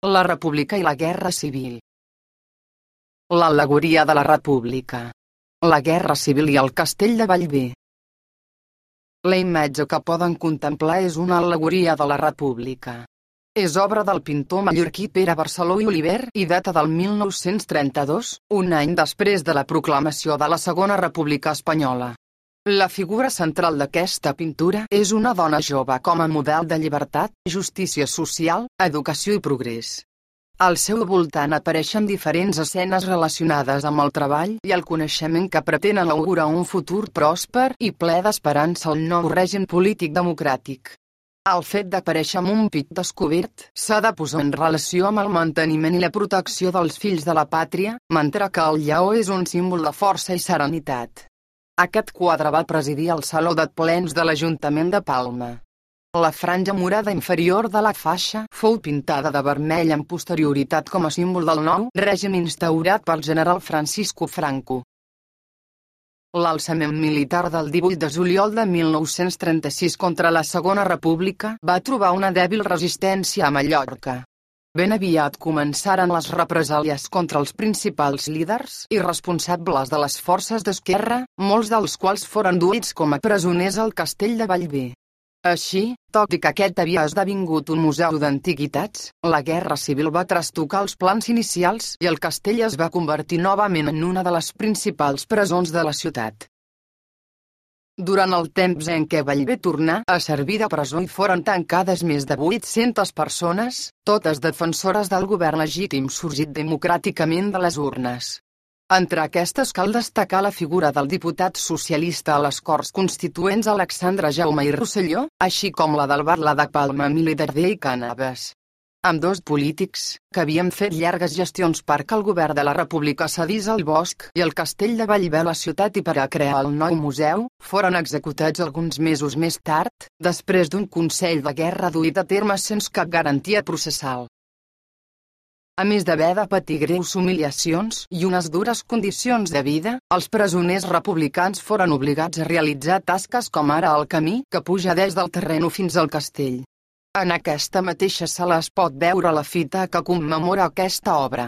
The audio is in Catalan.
La República i la Guerra Civil. L'al·legoria de la República. La Guerra Civil i el Castell de Bellver. La imatge que poden contemplar és una al·legoria de la República. És obra del pintor mallorquí Pere Barceló i Oliver i data del 1932, un any després de la proclamació de la Segona República Espanyola. La figura central d'aquesta pintura és una dona jove com a model de llibertat, justícia social, educació i progrés. Al seu voltant apareixen diferents escenes relacionades amb el treball i el coneixement que pretenen augurar un futur pròsper i ple d'esperança al nou règim polític democràtic. El fet d'aparèixer amb un pit descobert s'ha de posar en relació amb el manteniment i la protecció dels fills de la pàtria, mentre que el lleó és un símbol de força i serenitat. Aquest quadre va presidir el Saló de Plens de l'Ajuntament de Palma. La franja morada inferior de la faixa fou pintada de vermell amb posterioritat com a símbol del nou règim instaurat pel general Francisco Franco. L'alçament militar del 18 de juliol de 1936 contra la Segona República va trobar una dèbil resistència a Mallorca. Ben aviat començaren les represàlies contra els principals líders i responsables de les forces d'esquerra, molts dels quals foren duits com a presoners al Castell de Bellver. Així, tot i que aquest havia esdevingut un museu d'antiguitats, la Guerra Civil va trastocar els plans inicials i el castell es va convertir novament en una de les principals presons de la ciutat. Durant el temps en què Bellver tornà a servir de presó hi foren tancades més de 800 persones, totes defensores del govern legítim sorgit democràticament de les urnes. Entre aquestes cal destacar la figura del diputat socialista a les Corts Constituents Alexandre Jaume i Rosselló, així com la del Batlle de Palma Emili Darder i Cànoves. Ambdós polítics, que havien fet llargues gestions perquè el govern de la República cedís el bosc i el castell de Bellver a la ciutat i per a crear el nou museu, foren executats alguns mesos més tard, després d'un consell de guerra duit a terme sense cap garantia processal. A més d'haver de patir greus humiliacions i unes dures condicions de vida, els presoners republicans foren obligats a realitzar tasques com ara el camí que puja des del terreny fins al castell. En aquesta mateixa sala es pot veure la fita que commemora aquesta obra.